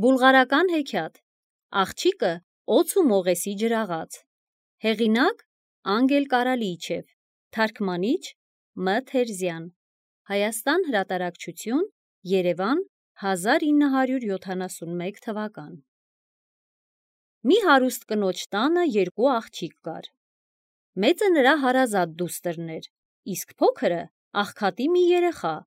Բուլղարական հեքիաթ Աղջիկը օձ ու մողեսի ջրաղաց Հեղինակ Անգել Կարալիչև Թարգմանիչ Մ. Թերզյան Հայաստան հրատարակչություն Երևան 1971 թվական Մի հարուստ կնոջ տանը երկու աղջիկ կար Մեծը նրա հարազատ դուստրն էր իսկ փոքրը աղքատի մի երեխա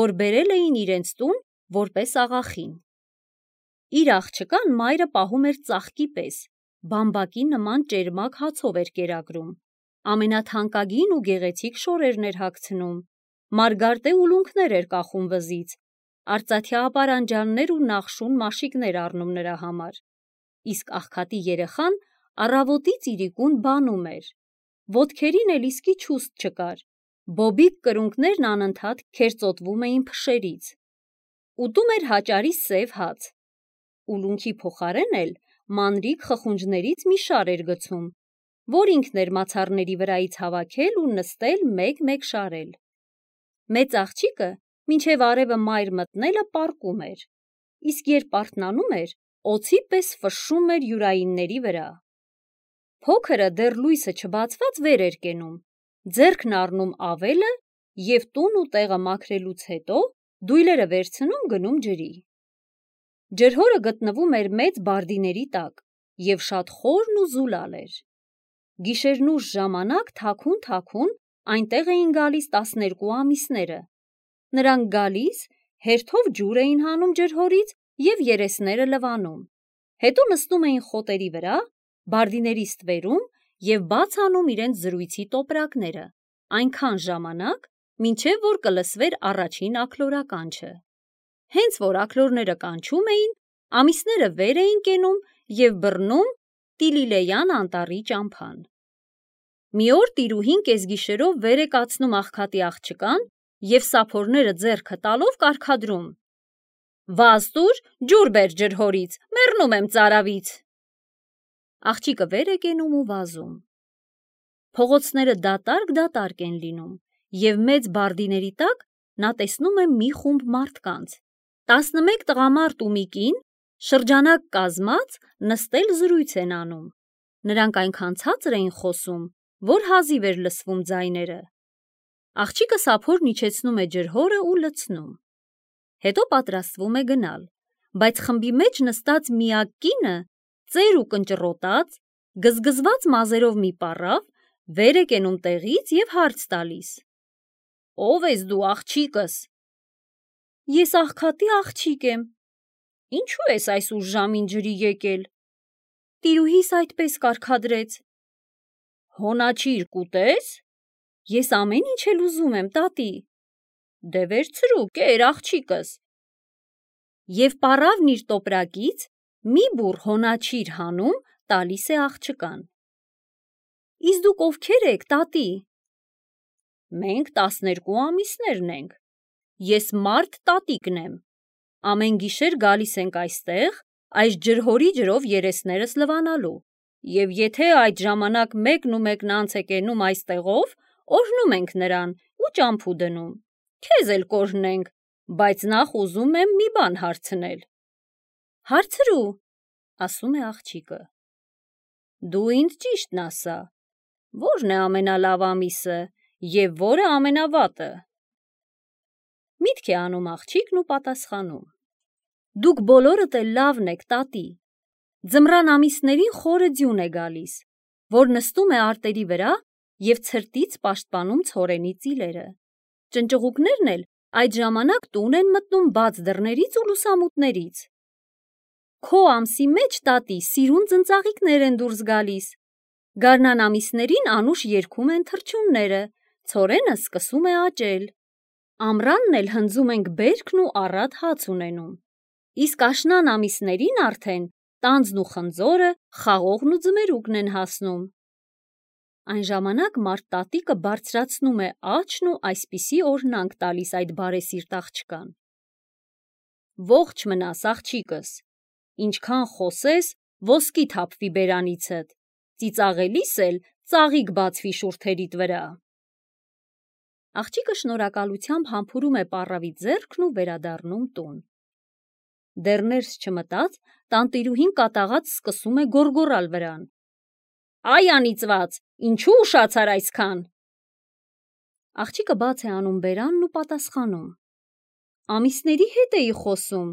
որ բերել էին իրենց տուն որպես աղախին Իր աղջկան մայրը պահում էր ծաղկի պես, բամբակի նման ճերմակ հացով էր կերակրում, ամենաթանկագին ու գեղեցիկ շորերն էր հագցնում, մարգարտե ուլունքներ էր կախում վզից, արծաթյա ապարանջաններ ու նախշուն մաշիկներ առնում նրա համար, իսկ աղքատի երեխան առավոտից իրիկուն բանում էր, ոտքերին էլ իսկի չուստ չկար, բոբիկ կրունկներն անընդհատ քերծոտվում էին փշերից, ուտում էր հաճարի սև հաց, ուլունքի փոխարեն էլ մանրիկ խխունջներից մի շար էր գցում, որ ինքն էր մացառների վրայից հավաքել ու նստել մեկ-մեկ շարել։ Մեծ աղջիկը մինչև արևը մայր մտնելը պառկում էր, իսկ երբ արթնանում էր, օձի պես ֆշշում էր յուրայինների վրա։ Փոքրը դեռ լույսը չբացված վեր էր կենում, ձեռքն առնում ավելը և տուն ու տեղը մաքրելուց հետո դույլերը վերցնում գնում ջրի։ Ջրհորը գտնվում էր մեծ բարդիների տակ և շատ խորն ու զուլալ էր։ Գիշերնուշ ժամանակ թաքուն այնտեղ էին գալիս 12 ամիսները։ Նրանք գալիս, հերթով ջուր էին հանում ջրհորից և երեսները լվանում։ Հետո նստում էին խոտերի վրա, բարդիների ստվերում և բաց անում իրենց զրույցի տոպրակները, այնքան ժամանակ, մինչև որ կլսվեր առաջին աքլորականչը։ Հենց որ աքլորները կանչում էին, ամիսները վեր էին կենում և բռնում Տիլիլեյան անտառի ճամփան։ Մի օր տիրուհին կեսգիշերով վեր է կացնում աղքատի աղջկան և սափորները ձեռքը տալով կարգադրում. «Վազ տուր, ջուր բեր ջրհորից, մեռնում եմ ծարավից»։ Աղջիկը վեր է կենում ու վազում։ Փողոցները դատարկ են լինում և մեծ բարդիների տակ նա տեսնում է մի խումբ մարդկանց, 11 տղամարդ ու մի կին, շրջանակ կազմած նստել զրույց են անում։ Նրանք այնքան ցածր էին խոսում, որ հազիվ էր լսվում ձայները։ Աղջիկը սափորն իջեցնում է ջրհորը ու լցնում։ Հետո պատրաստվում է գնալ, բայց խմբի մեջ նստած միակ կինը, ծեր ու կնճռոտած, գզգզված մազերով մի պառավ, վեր է կենում տեղից և հարց տալիս. «Ո՞վ ես դու աղջիկս»։ «Ես աղքատի աղջիկ եմ»։ «Ինչու ես այս ուշ ժամին ջրի եկել»։ «Տիրուհիս այդպես կարգադրեց»։ «Հոնաչիր կուտես»։ «Ես ամեն ինչ էլ ուզում եմ, տատի»։ «Դե վերցրու, կեր աղջիկս»։ Եվ պառավն իր տոպրակից մի բուռ հոնաչիր հանում տալիս է աղջկան։ «Իսկ դուք ովքեր եք, տատի»։ «Մենք 12 ամիսներն ենք։ Ես մարդ տատիկն եմ։ Ամեն գիշեր գալիս ենք այստեղ այս ջրհորի ջրով երեսներս լվանալու և եթե այդ ժամանակ մեկն ու մեկն անց է կենում այստեղով, օրհնում ենք նրան ու ճամփու դնում։ Քեզ էլ կօրհնենք, բայց նախ ուզում եմ մի բան հարցնել»։ «Հարցրու», ասում է աղջիկը։ «Դու ինձ ճիշտն ասա, ո՞րն է ամենալավ ամիսը և ո՞րը ամենավատը»։ Միտք է անում աղջիկն ու պատասխանում. «Դուք բոլորդ էլ լավն եք, տատի։ Ձմռան ամիսներին խորը ձյուն է գալիս, որ նստում է արտերի վրա և ցրտից պաշտպանում ցորենի ծիլերը։ Ճնճղուկներն էլ այդ ժամանակ տուն են մտնում բաց դռներից ու լուսամուտներից։ Քո ամսի մեջ, տատի, սիրուն ծնծաղիկներ են դուրս գալիս։ Գարնան ամիսներին անուշ երգում են թռչունները, ցորենը սկսում է աճել։ Ամռանն էլ հնձում ենք բերքն ու առատ հաց ունենում։ Իսկ աշնան ամիսներին արդեն տանձն ու խնձորը, խաղողն ու ձմերուկն են հասնում։ Այն ժամանակ մարդ տատիկը բարձրացնում է աչն ու այսպիսի օրհնանք տալիս այդ բարեսիրտ աղջկան. «Ողջ մնաս, աղջիկս, ինչքան խոսես, ոսկի թափվի բերանիցդ, ծիծաղելիս էլ ծաղիկ բացվի շուրթերիդ վրա»։ Աղջիկը շնորհակալությամբ համբուրում է պառավի ձեռքն ու վերադառնում տուն։ Դեռ ներս չմտած, տանտիրուհին կատաղած սկսում է գոռգոռալ վրան. «Այ անիծված, ինչու ուշացար այսքան»։ Աղջիկը բաց է անում բերանն ու պատասխանում. «Ամիսների հետ էի խոսում»։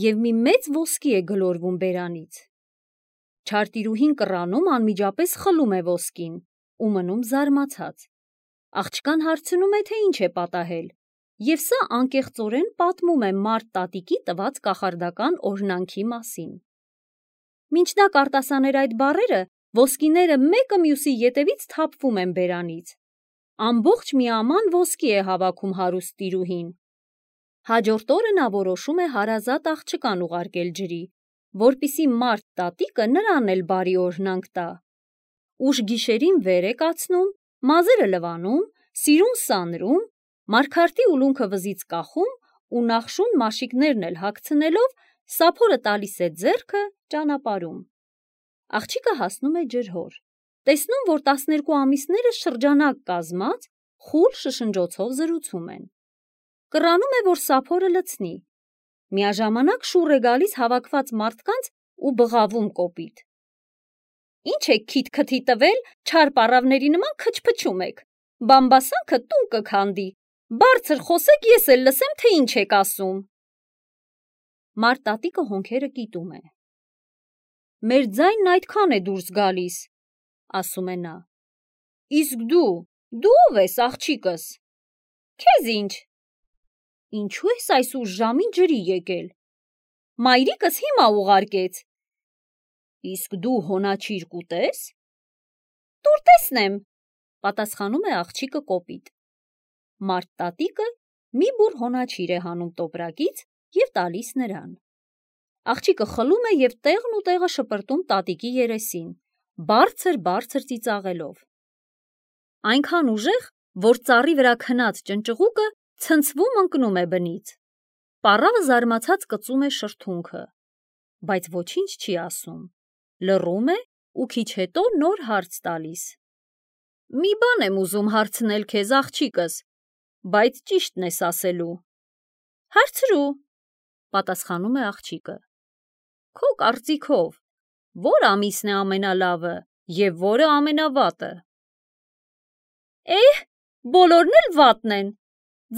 Եվ մի մեծ ոսկի է գլորվում բերանից։ Չարտիրուհին կռանում անմիջապես խլում է ոսկին ու մնում զարմացած։ Աղջկան հարցնում է, թե ինչ է պատահել, և սա անկեղծորեն պատմում է մարդ տատիկի տված կախարդական օրհնանքի մասին։ Մինչ նա կարտասաներ այդ բառերը, ոսկիները մեկը մյուսի ետևից թափվում են բերանից։ Ամբողջ մի աման ոսկի է հավաքում հարուստ տիրուհին։ Հաջորդ օրը նա որոշում է հարազատ աղջկան ուղարկել ջրի, որպեսզի մարդ տատիկը նրան էլ բարի օրհնանք տա։ Ուշ գիշերին վեր է կացնում, մազերը լվանում, սիրուն սանրում, մարգարտի ուլունքը վզից կախում ու նախշուն մաշիկներն էլ հագցնելով սափորը տալիս է ձեռքը ճանապարհում։ Աղջիկը հասնում է ջրհոր, տեսնում, որ 12 ամիսները շրջանակ կազմած խուլ շշնջոցով զրուցում են։ Կռանում է, որ սափորը լցնի։ Միաժամանակ շուռ է գալիս հավաքված մարդկանց ու բղավում կոպիտ. «Ինչ եք քիթ-քթի տվել, չար պառավների նման քչփչում եք, բամբասանքը տուն կքանդի, բարձր խոսեք, ես էլ լսեմ, թե ինչ եք ասում»։ Մարդ տատիկը հոնքերը կիտում է։ «Մեր ձայնն այդքան է դուրս գալիս», ասում է նա։ «Իսկ դու ով ես, աղջիկս»։ «Քեզ ինչ»։ «Ինչու ես այս ուշ ժամին ջրի եկել»։ «Մայրիկս հիմա ուղարկեց»։ «Իսկ դու հոնաչիր կուտես»։ «Տուր տեսնեմ», պատասխանում է աղջիկը կոպիտ։ Մարդ տատիկը մի բուռ հոնաչիր է հանում տոպրակից և տալիս նրան։ Աղջիկը խլում է և տեղն ու տեղը շպրտում տատիկի երեսին, բարձր ծիծաղելով։ Այնքան ուժեղ, որ ծառի վրա քնած ճնճղուկը ցնցվում ընկնում է բնից։ Պառավը զարմացած կծում է շրթունքը, բայց ոչինչ չի ասում, լռում է ու քիչ հետո նոր հարց տալիս. «Մի բան եմ ուզում հարցնել քեզ, աղջիկս, բայց ճիշտն ես ասելու»։ «Հարցրու», պատասխանում է աղջիկը։ «Քո կարծիքով, ո՞ր ամիսն է ամենալավը և ո՞րը ամենավատը»։ Բոլորն էլ վատն են։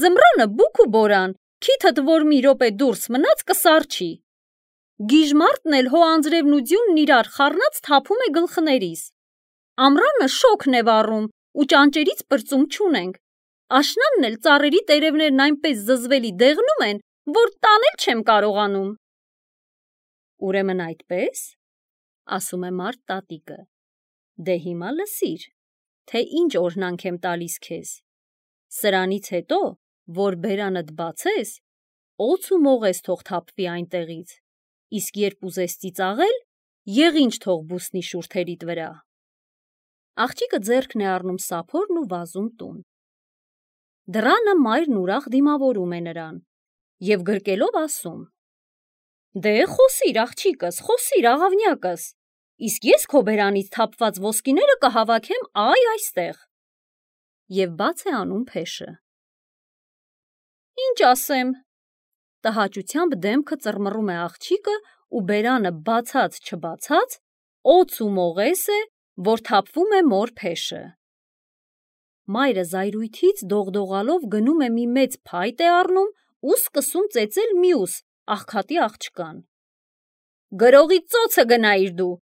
Ձմռանը բուք ու բորան, քիթդ որ մի րոպե դուրս մնաց կսառչի։ Գիժմարտն էլ հո անձրևն ու ձյունն իրար խառնած թափում է գլխներիս։ Ամռանը շոգն է վառում ու ճանճերից պրծում չունենք։ Աշնանն էլ ծառերի տերևներն այնպես զզվելի դեղնում են, որ տանել չեմ կարողանում։ Ուրեմն այդպե՞ս, ասում է մարդ տատիկը։ Դե հիմա լսիր, թե ինչ օրհնանք եմ տալիս քեզ։ Սրանից հետո, որ բերանդ բացես, օձ ու մողես թող թափվի այնտեղից, իսկ երբ ուզես ծիծաղել, եղինջ թող բուսնի շուրթերիդ վրա։ Աղջիկը ձեռքն է առնում սափորն ու վազում տուն։ Դռանը մայրն ուրախ դիմավորում է նրան և գրկելով ասում. «Դե խոսիր, աղջիկս, խոսիր, աղավնյակս, իսկ ես քո բերանից թափված ոսկիները կհավաքեմ այստեղ»։ Եվ բաց է անում փեշը։ «Ինչ ասեմ»։ Տհաճությամբ դեմքը ծռմռում է աղջիկը ու բերանը բացած-չբացած օձ ու մողես է, որ թափվում է մոր փեշը։ Մայրը զայրույթից դողդողալով գնում է մի մեծ փայտ է առնում ու սկսում ծեծել մյուս աղքատի աղջկան։ «Գրողի ծոցը գնայիր դու,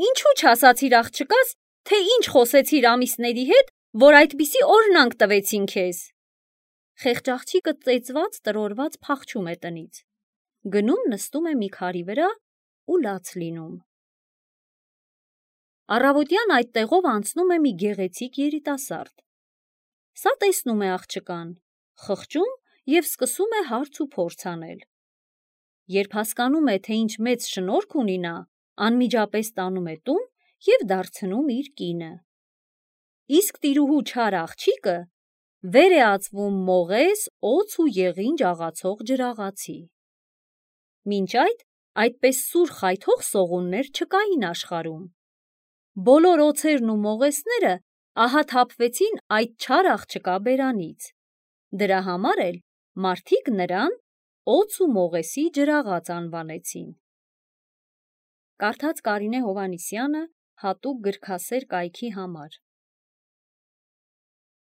ինչու չասացիր աղջկաս, թե ինչ խոսեցիր ամիսների հետ, որ այդպիսի օրհնանք տվեցին քեզ»։ Խեղճ աղջիկը ծեծված տրորված փախչում է տնից, գնում նստում է մի քարի վրա ու լաց լինում։ Առավոտյան այդ տեղով անցնում է մի գեղեցիկ երիտասարդ։ Սա տեսնում է աղջկան, խղճում և սկսում է հարց ու փորձ անել։ Երբ հասկանում է, թե ինչ մեծ շնորհք ունի նա, անմիջապես տանում է տուն և դարձնում իր կինը։ Իսկ տիրուհու չար աղջիկը վեր է ածվում մողես, օձ ու եղինջ աղացող ջրաղացի։ Մինչ այդպես սուր խայթող սողուններ չկային աշխարհում։ Բոլոր օձերն ու մողեսները ահա թափվեցին այդ չար աղջկա բերանից։ Դրա համար էլ մարդիկ նրան Օձ ու մողեսի ջրաղաց անվանեցին։ Կարդաց Կարինե Հովհաննիսյանը հատուկ գրքասեր կայքի համար։